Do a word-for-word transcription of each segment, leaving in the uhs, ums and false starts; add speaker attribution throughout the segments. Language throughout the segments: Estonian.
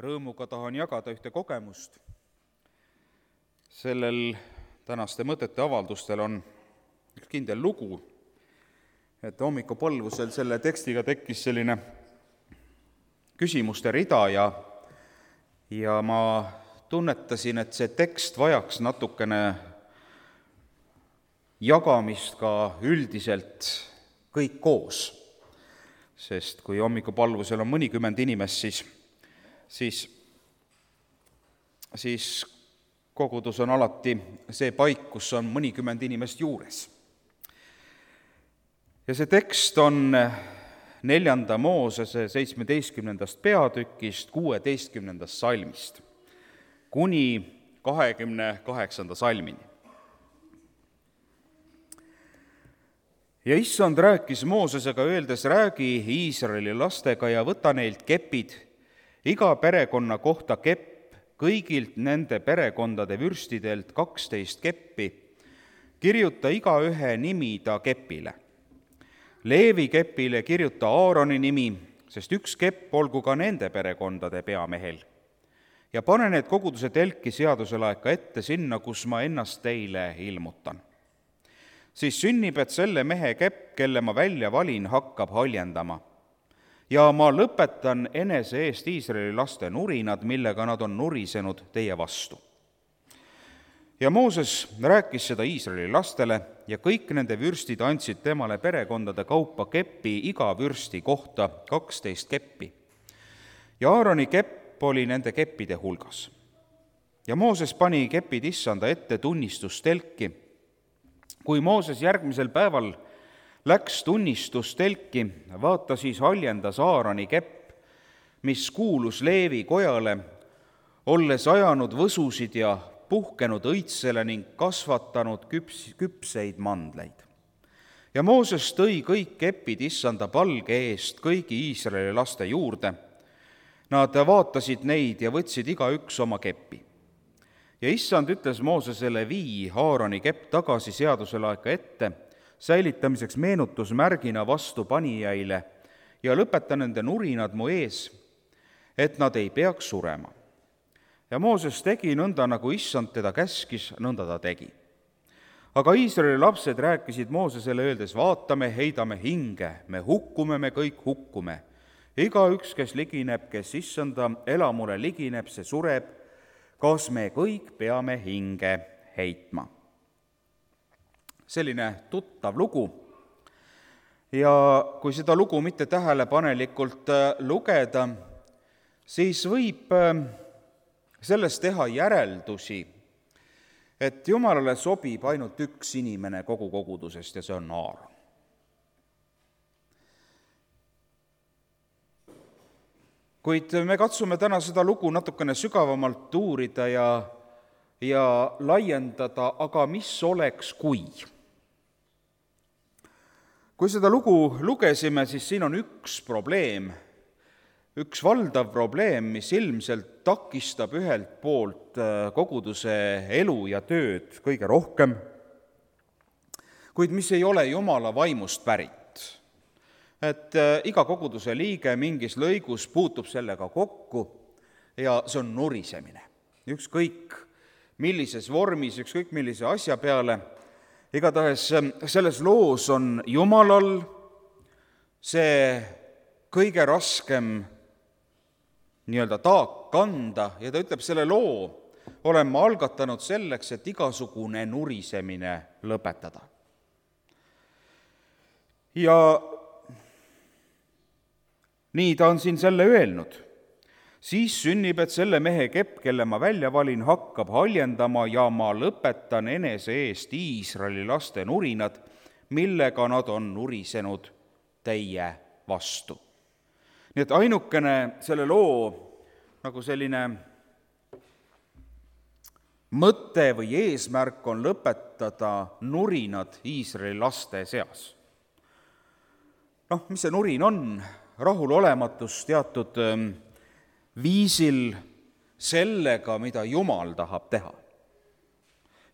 Speaker 1: rõõmuga tahan jagada ühte kogemust. Sellel tänaste mõtete avaldustel on üks kindel lugu, et hommikupõlvusel selle tekstiga tekkis selline küsimuste rida ja, ja ma tunnetasin, et see tekst vajaks natukene jagamist ka üldiselt kõik koos. Sest kui hommikupalvusel on mõnikümmend inimest, siis, siis, siis kogudus on alati see paik, kus on mõnikümmend inimest juures. Ja see tekst on neljanda Moosese seitsmeteistkümnendast peatükist kuueteistkümnendast salmist kuni kahekümne kaheksanda salmini. Ja issand rääkis Moosesega öeldes, räägi Iisraeli lastega ja võta neilt kepid, iga perekonna kohta kepp, kõigilt nende perekondade vürstidelt kaksteist keppi, kirjuta igaühe nimi ta kepile. Leevi kepile kirjuta Aaroni nimi, sest üks kepp olgu ka nende perekondade peamehel. Ja pane need koguduse telki seaduselaeka ette sinna, kus ma ennast teile ilmutan. Siis sünnib, et selle mehe kepp, kelle ma välja valin, hakkab haljendama. Ja ma lõpetan enese eest Iisraeli laste nurinad, millega nad on nurisenud teie vastu. Ja Mooses rääkis seda Iisraeli lastele ja kõik nende vürstid andsid temale perekondade kaupa kepi iga vürsti kohta kaksteist keppi. Ja Aaroni kepp oli nende keppide hulgas. Ja Mooses pani kepid issanda ette tunnistustelki. Kui Mooses järgmisel päeval läks tunnistustelki, vaata siis haljendas Aaroni kepp, mis kuulus Leevi kojale, olles ajanud võsusid ja puhkenud õitsele ning kasvatanud küps, küpseid mandleid. Ja Mooses tõi kõik kepid issanda palge eest kõigi Iisraeli laste juurde. Nad vaatasid neid ja võtsid igaüks oma kepi. Ja issand ütles Moosesele, vii Aaroni kepp tagasi seaduselaeka ette, säilitamiseks meenutusmärgina vastu panijaile ja lõpeta nende nurinad mu ees, et nad ei peaks surema. Ja Mooses tegi nõnda, nagu issand teda käskis, nõnda ta tegi. Aga Iisraeli lapsed rääkisid Moosesele öeldes, vaatame, heidame hinge, me hukkume, me kõik hukkume. Igaüks, kes ligineb, kes issanda elamule ligineb, see sureb, kas me kõik peame hinge heitma. Selline tuttav lugu. Ja kui seda lugu mitte tähelepanelikult lugeda, siis võib sellest teha järeldusi, et Jumalale sobib ainult üks inimene kogu kogudusest ja see on Aaron. Kuid me katsume täna seda lugu natukene sügavamalt uurida ja, ja laiendada, aga mis oleks kui? Kui seda lugu lugesime, siis siin on üks probleem, üks valdav probleem, mis ilmselt takistab ühelt poolt koguduse elu ja tööd kõige rohkem, kuid mis ei ole Jumala vaimust pärit. Et iga koguduse liige mingis lõigus puutub sellega kokku ja see on nurisemine. Ükskõik millises vormis, ükskõik millise asja peale, igatahes selles loos on Jumalal see kõige raskem nii-öelda taak kanda ja ta ütleb, selle loo olen ma algatanud selleks, et igasugune nurisemine lõpetada. Ja nii ta on siin selle öelnud. Siis sünnib, et selle mehe kepp, kelle ma välja valin, hakkab haljendama ja ma lõpetan enese eest Iisraeli laste nurinad, millega nad on nurisenud teie vastu. Nii et ainukene selle loo nagu selline mõte või eesmärk on lõpetada nurinad Iisraeli laste seas. Noh, mis see nurin on? Rahulolematus teatud viisil sellega, mida Jumal tahab teha.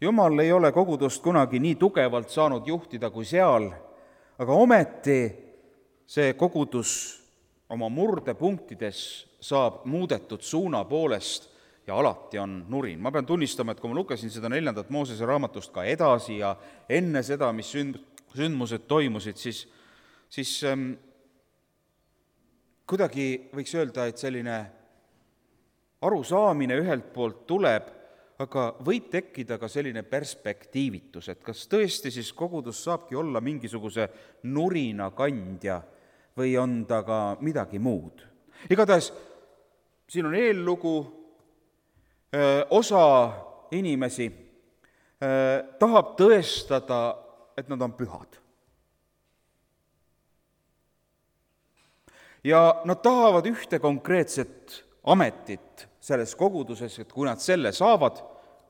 Speaker 1: Jumal ei ole kogudust kunagi nii tugevalt saanud juhtida kui seal, aga ometi see kogudus oma murdepunktides saab muudetud suuna poolest ja alati on nurin. Ma pean tunnistama, et kui ma lugesin seda neljandat Moosese raamatust ka edasi ja enne seda, mis sünd, sündmused toimusid, siis, siis ähm, kuidagi võiks öelda, et selline arusaamine ühelt poolt tuleb, aga võib tekkida ka selline perspektiivitus, et kas tõesti siis kogudus saabki olla mingisuguse nurina kandja või on ta ka midagi muud. Igatahes siin on eellugu, osa inimesi tahab tõestada, et nad on pühad. Ja nad tahavad ühte konkreetset ametit selles koguduses, et kui nad selle saavad,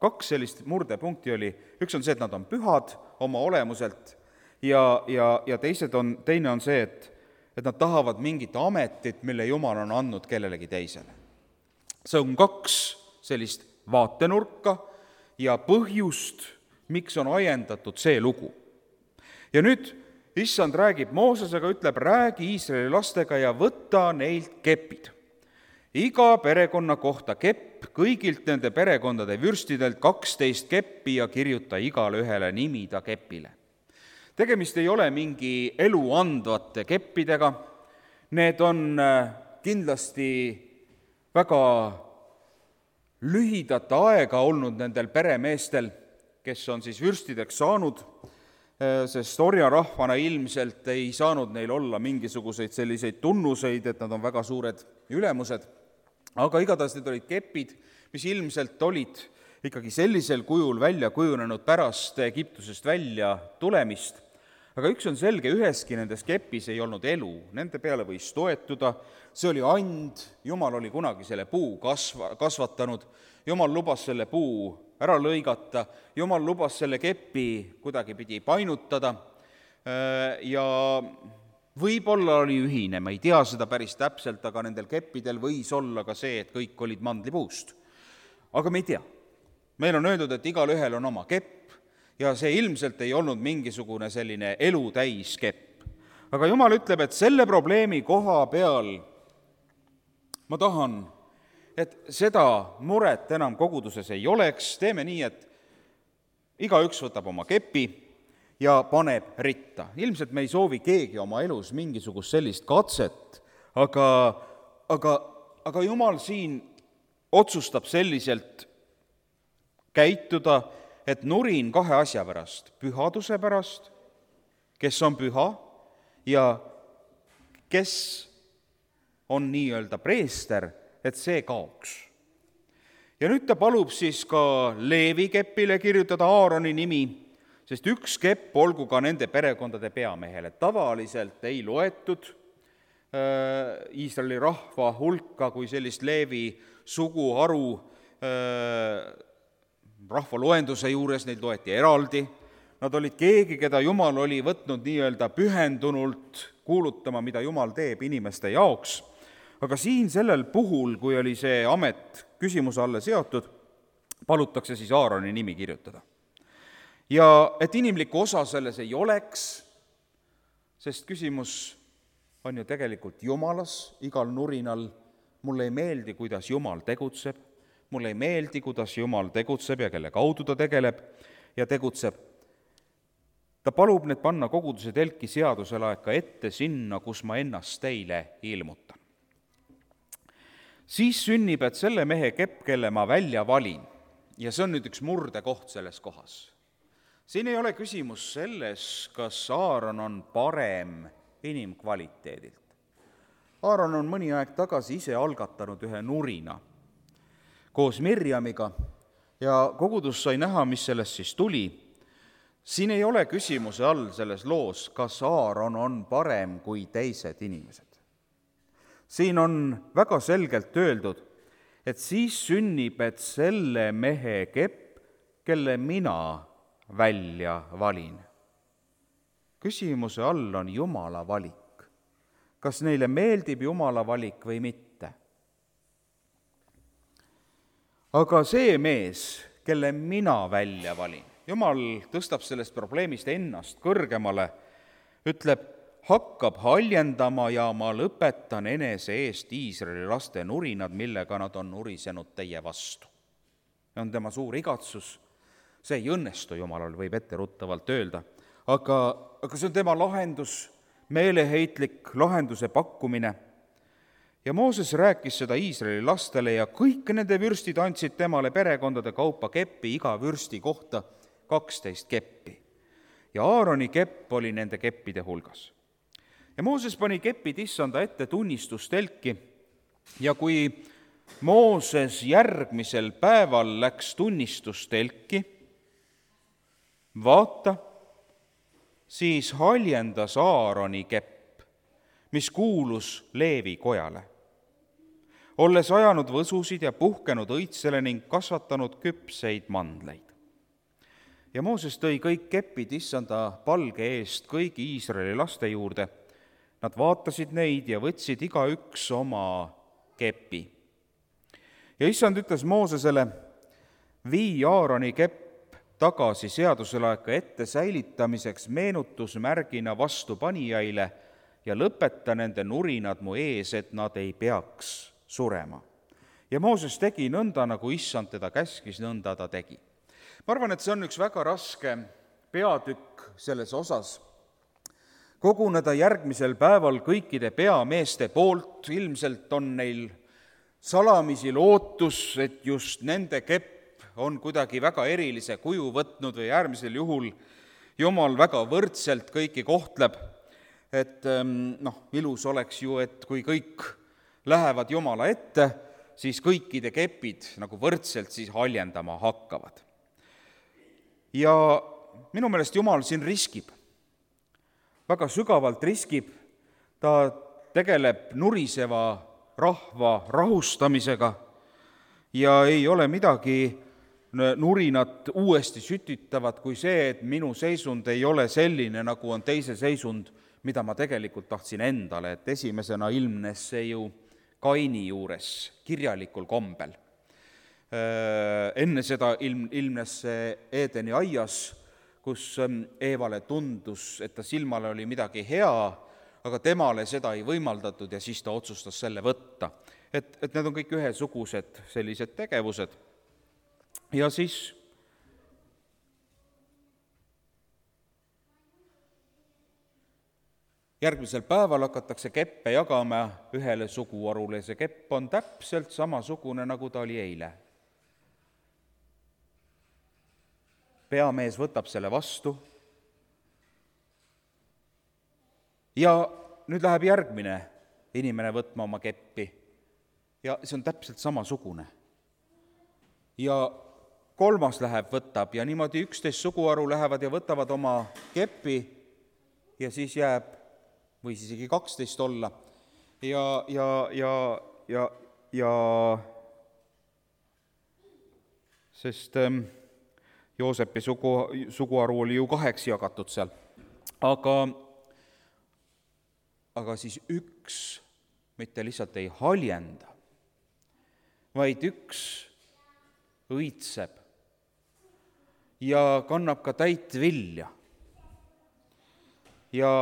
Speaker 1: kaks sellist murdepunkti oli, üks on see, et nad on pühad oma olemuselt ja, ja, ja teised on, teine on see, et, et nad tahavad mingit ametit, mille Jumal on andnud kellelegi teisele. See on kaks sellist vaatenurka ja põhjust, miks on ajendatud see lugu. Ja nüüd Issand räägib Moosesega, ütleb, räägi Iisraeli lastega ja võta neilt kepid. Iga perekonna kohta kepp, kõigilt nende perekondade vürstidelt kaksteist keppi ja kirjuta igale ühele nimi ta kepile. Tegemist ei ole mingi elu andvate keppidega, need on kindlasti väga lühidat aega olnud nendel peremeestel, kes on siis vürstideks saanud, sest orjarahvana ilmselt ei saanud neil olla mingisuguseid selliseid tunnuseid, et nad on väga suured ülemused, aga igatahes need olid kepid, mis ilmselt olid ikkagi sellisel kujul välja kujunenud pärast Egiptusest välja tulemist. Aga üks on selge, üheski nendes kepis ei olnud elu, nende peale võis toetuda, see oli and, Jumal oli kunagi selle puu kasva, kasvatanud, Jumal lubas selle puu ära lõigata, Jumal lubas selle kepi kuidagi pidi painutada ja võib-olla oli ühine, ma ei tea seda päris täpselt, aga nendel keppidel võis olla ka see, et kõik olid mandlipuust. Aga me ei tea. Meil on öeldud, et igal ühel on oma kepp ja see ilmselt ei olnud mingisugune selline elutäis kepp. Aga Jumal ütleb, et selle probleemi koha peal ma tahan, et seda muret enam koguduses ei oleks, teeme nii, et igaüks võtab oma kepi ja paneb ritta. Ilmselt me ei soovi keegi oma elus mingisugust sellist katset, aga, aga, aga Jumal siin otsustab selliselt käituda, et nurin kahe asja pärast, pühaduse pärast, kes on püha ja kes on nii-öelda preester, et see kaoks. Ja nüüd ta palub siis ka Leevi kepile kirjutada Aaroni nimi, sest üks kepp olgu ka nende perekondade peamehele. Tavaliselt ei loetud äh, Iisraeli rahva hulka kui sellist Leevi suguharu äh, rahva loenduse juures, neid loeti eraldi. Nad olid keegi, keda Jumal oli võtnud nii-öelda pühendunult kuulutama, mida Jumal teeb inimeste jaoks. Aga siin sellel puhul, kui oli see amet küsimuse alle seotud, palutakse siis Aaroni nimi kirjutada. Ja et inimlikku osa selles ei oleks, sest küsimus on ju tegelikult Jumalas, igal nurinal, mulle ei meeldi, kuidas Jumal tegutseb, mulle ei meeldi, kuidas Jumal tegutseb ja kelle kaudu ta tegeleb ja tegutseb. Ta palub need panna koguduse telki seaduselaeka ette sinna, kus ma ennast teile ilmutan. Siis sünnib, et selle mehe kepp, kelle ma välja valin, ja see on nüüd üks murdekoht selles kohas. Siin ei ole küsimus selles, kas Aaron on parem inimkvaliteedilt. Aaron on mõni aeg tagasi ise algatanud ühe nurina koos Mirjamiga ja kogudus sai näha, mis sellest siis tuli. Siin ei ole küsimuse all selles loos, kas Aaron on parem kui teised inimesed. Siin on väga selgelt öeldud, et siis sünnib, et selle mehe kepp, kelle mina välja valin. Küsimuse all on Jumala valik. Kas neile meeldib Jumala valik või mitte? Aga see mees, kelle mina välja valin, Jumal tõstab sellest probleemist ennast kõrgemale, ütleb, hakkab haljendama ja ma lõpetan enese eest Iisraeli laste nurinad, millega nad on nurisenud teie vastu. See on tema suur igatsus. See ei õnnestu Jumalal, võib etteruttavalt öelda, aga, aga see on tema lahendus, meeleheitlik lahenduse pakkumine. Ja Mooses rääkis seda Iisraeli lastele ja kõik nende vürstid andsid temale perekondade kaupa keppi, iga vürsti kohta kaksteist keppi. Ja Aaroni kepp oli nende keppide hulgas. Ja Mooses pani kepid issanda ette tunnistustelki ja kui Mooses järgmisel päeval läks tunnistustelki, vaata, siis haljendas Aaroni kepp, mis kuulus Leevi kojale, olles ajanud võsusid ja puhkenud õitsele ning kasvatanud küpseid mandleid. Ja Mooses tõi kõik kepid issanda palge eest kõigi Iisraeli laste juurde. Nad vaatasid neid ja võtsid igaüks oma kepi. Ja issand ütles Moosesele, vii Aaroni kepp tagasi seaduselaeka ette säilitamiseks meenutusmärgina vastupanijaile ja lõpeta nende nurinad mu ees, et nad ei peaks surema. Ja Mooses tegi nõnda, nagu issand teda käskis, nõnda ta tegi. Ma arvan, et see on üks väga raske peatükk selles osas. Koguneda järgmisel päeval kõikide peameeste poolt, ilmselt on neil salamisi lootus, et just nende kepp on kuidagi väga erilise kuju võtnud või äärmisel juhul Jumal väga võrdselt kõiki kohtleb. Et noh, ilus oleks ju, et kui kõik lähevad Jumala ette, siis kõikide kepid nagu võrdselt siis haljendama hakkavad. Ja minu meelest Jumal siin riskib, väga sügavalt riskib, ta tegeleb nuriseva rahva rahustamisega ja ei ole midagi nurinat uuesti sütitavat kui see, et minu seisund ei ole selline, nagu on teise seisund, mida ma tegelikult tahtsin endale, et esimesena ilmnes see ju Kaini juures kirjalikul kombel. Enne seda ilm, ilmnes see Eedeni aias, kus Eevale tundus, et ta silmale oli midagi hea, aga temale seda ei võimaldatud ja siis ta otsustas selle võtta. Et, et need on kõik ühesugused sellised tegevused. Ja siis järgmisel päeval hakatakse keppe jagama ühele suguharule. See kepp on täpselt samasugune, nagu ta oli eile. Peamees võtab selle vastu ja nüüd läheb järgmine inimene võtma oma keppi ja see on täpselt samasugune. Ja kolmas läheb, võtab ja niimoodi üksteist suguharu lähevad ja võtavad oma keppi ja siis jääb, või siis isegi kaksteist olla ja, ja, ja, ja, ja sest ähm, Joosepi sugu, suguharu oli ju kaheks jagatud seal, aga, aga siis üks mitte lihtsalt ei haljenda, vaid üks õitseb ja kannab ka täit vilja. Ja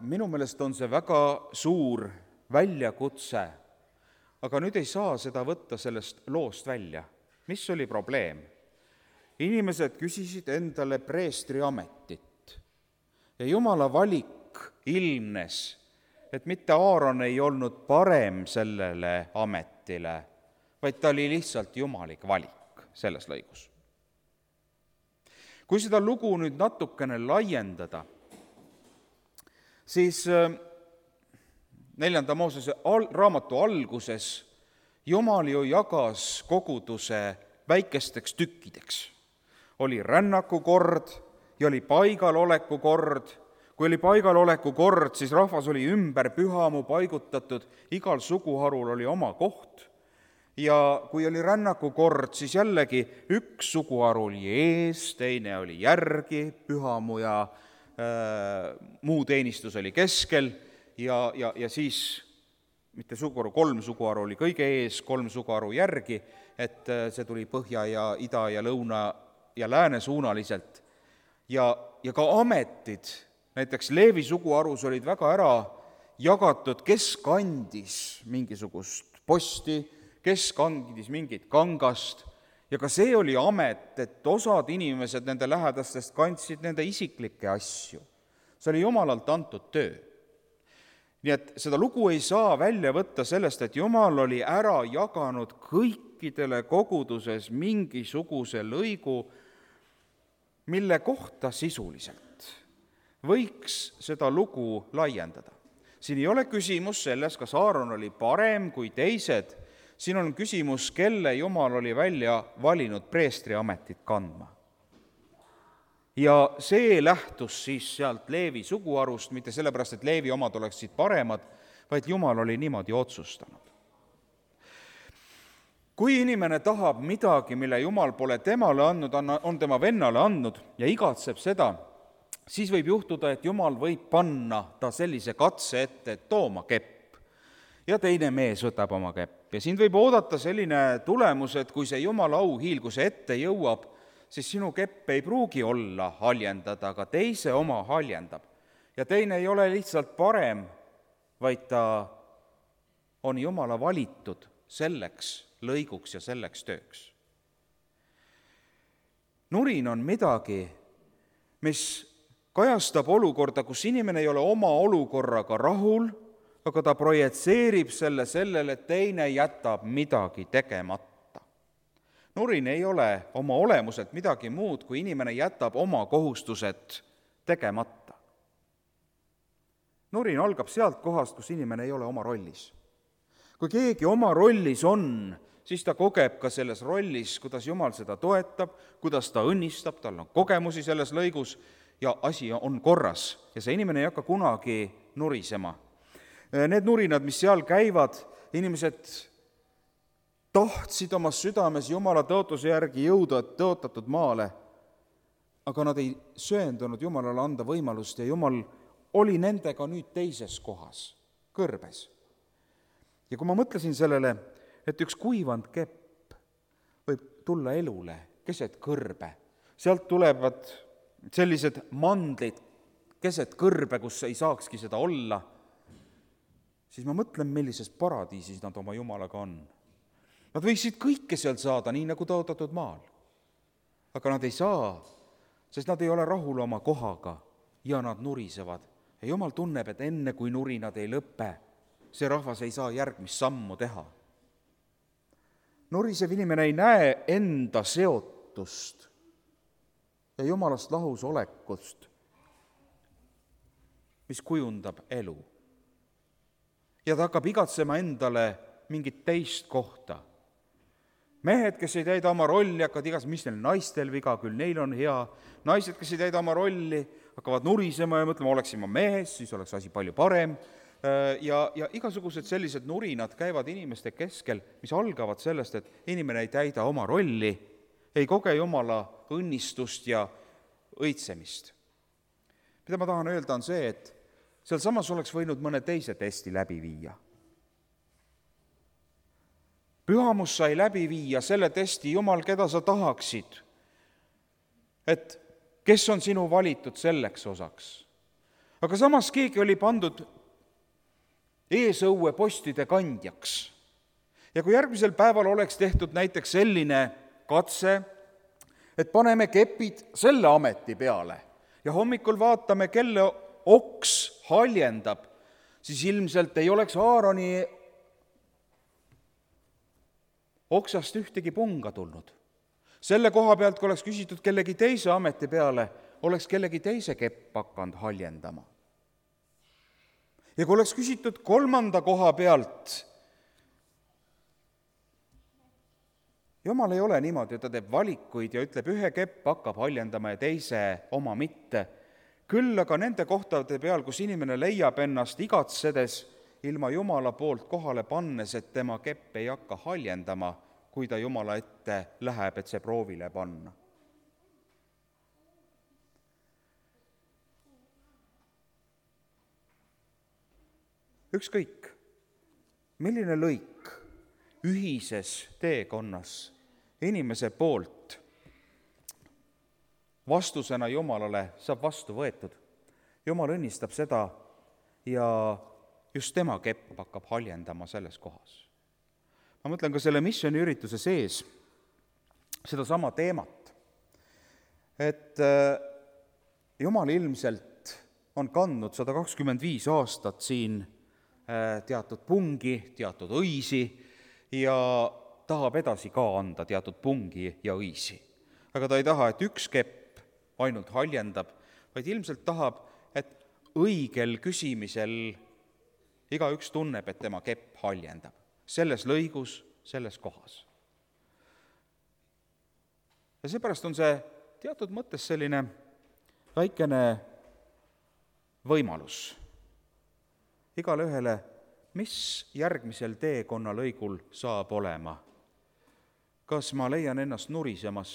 Speaker 1: minu meelest on see väga suur väljakutse, aga nüüd ei saa seda võtta sellest loost välja. Mis oli probleem? Inimesed küsisid endale preestri ametit ja Jumala valik ilmnes, et mitte Aaron ei olnud parem sellele ametile, vaid ta oli lihtsalt jumalik valik selles lõigus. Kui seda lugu nüüd natukene laiendada, siis neljanda Moosese al- raamatu alguses Jumal ju jagas koguduse väikesteks tükkideks. Oli rännakukord ja oli paigaloleku kord. Kui oli paigaloleku kord, siis rahvas oli ümber pühamu paigutatud, igal suguharul oli oma koht. Ja kui oli rännakukord, siis jällegi üks suguharu oli ees, teine oli järgi, pühamu ja äh, muu teenistus oli keskel ja, ja, ja siis mitte suguharu, kolm suguharu oli kõige ees, kolm suguharu järgi, et äh, see tuli põhja ja ida ja lõuna ja lääne suunaliselt ja, ja ka ametid, näiteks Leevi suguharus olid väga ära jagatud, kes kandis mingisugust posti, kes kandis mingit kangast, ja ka see oli amet, et osad inimesed nende lähedastest kandsid nende isiklikke asju. See oli Jumalalt antud töö. Nii et seda lugu ei saa välja võtta sellest, et Jumal oli ära jaganud kõikidele koguduses mingisuguse lõigu, mille kohta sisuliselt võiks seda lugu laiendada. Siin ei ole küsimus selles, kas Aaron oli parem kui teised, siin on küsimus, kelle Jumal oli välja valinud preestriametit kandma. Ja see lähtus siis sealt Leevi suguharust, mitte sellepärast, et Leevi omad oleksid paremad, vaid Jumal oli niimoodi otsustanud. Kui inimene tahab midagi, mille Jumal pole temale andnud, on tema vennale andnud ja igatseb seda, siis võib juhtuda, et Jumal võib panna ta sellise katse ette, et tooma kepp. Ja teine mees võtab oma kepp. Ja siin võib oodata selline tulemus, et kui see Jumala auhiil, kui see ette jõuab, siis sinu kepp ei pruugi olla haljendada, aga teise oma haljendab. Ja teine ei ole lihtsalt parem, vaid ta on Jumala valitud selleks lõiguks ja selleks tööks. Nurin on midagi, mis kajastab olukorda, kus inimene ei ole oma olukorraga rahul, aga ta projitseerib selle sellele, et teine jätab midagi tegemata. Nurin ei ole oma olemuselt midagi muud, kui inimene jätab oma kohustused tegemata. Nurin algab sealt kohast, kus inimene ei ole oma rollis. Kui keegi oma rollis on, siis ta kogeb ka selles rollis, kuidas Jumal seda toetab, kuidas ta õnnistab, tal on kogemusi selles lõigus ja asi on korras. Ja see inimene ei hakka kunagi nurisema. Need nurinad, mis seal käivad, inimesed tahtsid oma südames Jumala tõotuse järgi jõuda tõotatud maale, aga nad ei söendunud Jumalale anda võimalust ja Jumal oli nendega nüüd teises kohas, kõrbes. Ja kui ma mõtlesin sellele, et üks kuivand kepp võib tulla elule keset kõrbe, sealt tulevad sellised mandlid keset kõrbe, kus ei saakski seda olla, siis ma mõtlen, millises paradiisis nad oma Jumalaga on. Nad võiksid kõike seal saada, nii nagu tõotatud maal. Aga nad ei saa, sest nad ei ole rahul oma kohaga ja nad nurisevad. Ja Jumal tunneb, et enne kui nurinad ei lõpe, see rahvas ei saa järgmist sammu teha. Nurisev inimene ei näe enda seotust ja Jumalast lahus olekust, mis kujundab elu. Ja ta hakkab igatsema endale mingit teist kohta. Mehed, kes ei täida oma rolli, hakkavad igas, mis neil naistel viga, küll neil on hea. Naised, kes ei täida oma rolli, hakkavad nurisema ja mõtlema, oleksin ma mees, siis oleks asi palju parem. Ja, ja igasugused sellised nurinad käivad inimeste keskel, mis algavad sellest, et inimene ei täida oma rolli, ei koge Jumala õnnistust ja õitsemist. Mida ma tahan öelda on see, et seal samas oleks võinud mõne teise testi läbi viia. Pühamus sai läbi viia selle testi, Jumal, keda sa tahaksid, et kes on sinu valitud selleks osaks. Aga samas keegi oli pandud eesõue postide kandjaks. Ja kui järgmisel päeval oleks tehtud näiteks selline katse, et paneme kepid selle ameti peale ja hommikul vaatame, kelle oks haljendab, siis ilmselt ei oleks Aaroni oksast ühtegi punga tulnud. Selle koha pealt, kui oleks küsitud kellegi teise ameti peale, oleks kellegi teise kepp hakanud haljendama. Ja kui oleks küsitud kolmanda koha pealt, Jumal ei ole niimoodi, et ta teeb valikuid ja ütleb, ühe kepp hakkab haljendama ja teise oma mitte. Küll aga nende kohtade peal, kus inimene leiab ennast igatsedes ilma Jumala poolt kohale pannes, et tema kepp ei hakka haljendama, kui ta Jumala ette läheb, et see proovile panna. Ükskõik, milline lõik ühises teekonnas inimese poolt vastusena Jumalale saab vastu võetud, Jumal õnnistab seda ja just tema kepp hakkab haljendama selles kohas. Ma mõtlen ka selle missiooniürituse sees sedasama teemat, et Jumal ilmselt on kandnud sada kakskümmend viis aastat siin teatud pungi, teatud õisi ja tahab edasi ka anda teatud pungi ja õisi. Aga ta ei taha, et üks kepp ainult haljendab, vaid ilmselt tahab, et õigel küsimisel igaüks tunneb, et tema kepp haljendab. Selles lõigus, selles kohas. Ja seepärast on see teatud mõttes selline väikene võimalus igale ühele, mis järgmisel teekonna lõigul saab olema. Kas ma leian ennast nurisemas?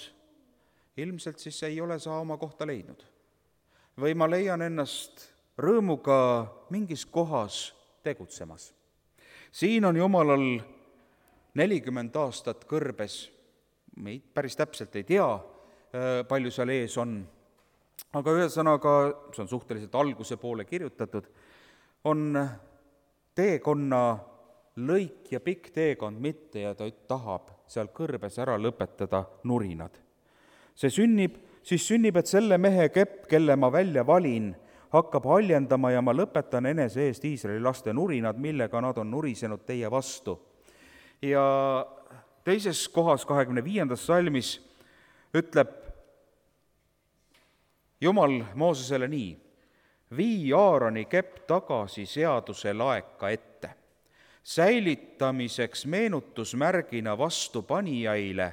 Speaker 1: Ilmselt siis ei ole sa oma kohta leidnud. Või ma leian ennast rõõmuga mingis kohas tegutsemas. Siin on Jumalal nelikümmend aastat kõrbes, me päris täpselt ei tea, palju seal ees on, aga ühesõnaga, see on suhteliselt alguse poole kirjutatud, on teekonna lõik ja pikk teekond mitte ja ta tahab seal kõrbes ära lõpetada nurinad. See sünnib, siis sünnib, et selle mehe kepp, kelle ma välja valin, hakkab haljendama ja ma lõpetan enese eest Iisraeli laste nurinad, millega nad on nurisenud teie vastu. Ja teises kohas, kahekümne viiendas salmis, ütleb Jumal Moosesele nii: vii Aaroni kepp tagasi seaduse laeka ette, säilitamiseks meenutusmärgina vastu panijaile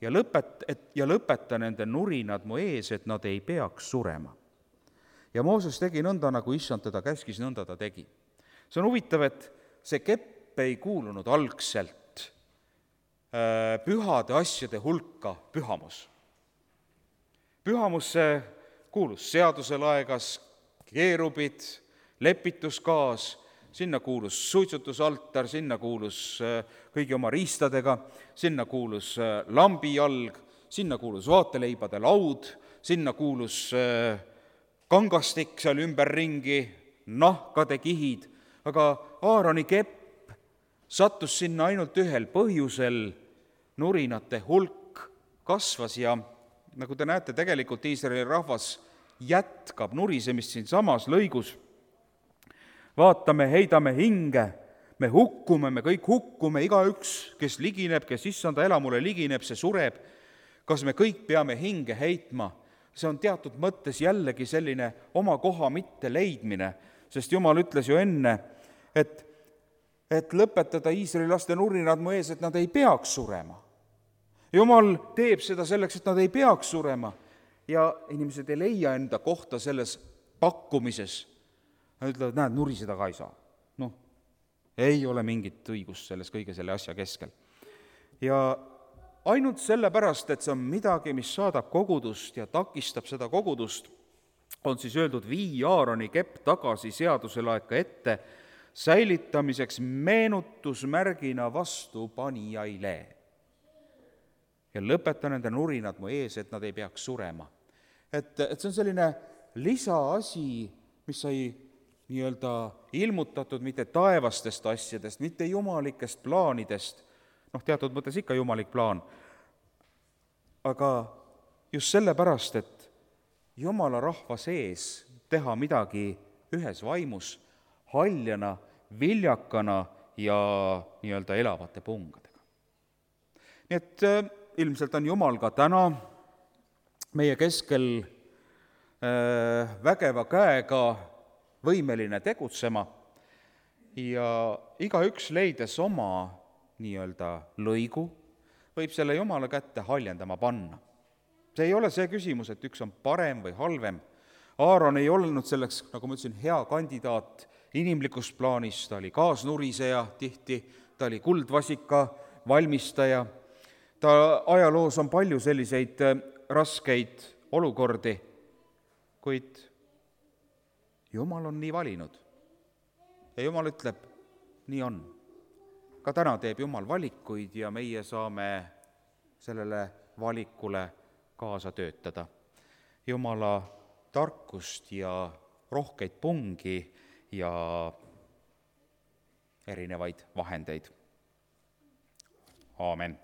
Speaker 1: ja, lõpet, et, ja lõpeta nende nurinad mu ees, et nad ei peaks surema. Ja Mooses tegi nõnda, nagu issand teda käskis, nõnda ta tegi. See on huvitav, et see kepp ei kuulunud algselt äh, pühade asjade hulka pühamus. Pühamusse kuulus seaduselaegas, keerubid, lepituskaas, sinna kuulus suitsutusaltar, sinna kuulus kõigi oma riistadega, sinna kuulus lambijalg, sinna kuulus vaateleibade laud, sinna kuulus kangastik seal ümberringi, nahkade kihid, aga Aaroni kepp sattus sinna ainult ühel põhjusel, nurinate hulk kasvas ja nagu te näete, tegelikult Iisraeli rahvas jätkab nurisemist siin samas lõigus. Vaatame, heidame hinge, me hukkume, me kõik hukkume, igaüks, kes ligineb, kes issanda elamule ligineb, see sureb. Kas me kõik peame hinge heitma? See on teatud mõttes jällegi selline oma koha mitte leidmine, sest Jumal ütles ju enne, et, et lõpetada Iisraeli laste nurinad mu ees, et nad ei peaks surema. Jumal teeb seda selleks, et nad ei peaks surema ja inimesed ei leia enda kohta selles pakkumises. Nad ütlevad, näed, nuriseda ka ei saa. Noh, ei ole mingit õigust selles kõige selle asja keskel. Ja ainult sellepärast, et see on midagi, mis saadab kogudust ja takistab seda kogudust, on siis öeldud, vii Aaroni kepp tagasi seaduselaeka ette, säilitamiseks meenutusmärgina vastu panijaile. Ja lõpeta nende nurinad mu ees, et nad ei peaks surema. Et, et see on selline lisaasi, mis sai nii-öelda ilmutatud mitte taevastest asjadest, mitte jumalikest plaanidest, noh, teatud mõttes ikka jumalik plaan, aga just sellepärast, et Jumala rahva sees teha midagi ühes vaimus, haljana, viljakana ja nii-öelda elavate pungadega. Nii et äh, ilmselt on Jumal ka täna meie keskel äh, vägeva käega võimeline tegutsema ja igaüks leides oma nii-öelda lõigu, võib selle Jumala kätte haljendama panna. See ei ole see küsimus, et üks on parem või halvem. Aaron ei olnud selleks, nagu ma ütlesin, hea kandidaat inimlikus plaanis, ta oli kaasnuriseja tihti, ta oli kuldvasika valmistaja, ta ajaloos on palju selliseid raskeid olukordi, kuid Jumal on nii valinud. Ja Jumal ütleb, nii on. Ka täna teeb Jumal valikuid ja meie saame sellele valikule kaasa töötada. Jumala tarkust ja rohkeid pungi ja erinevaid vahendeid. Aamen.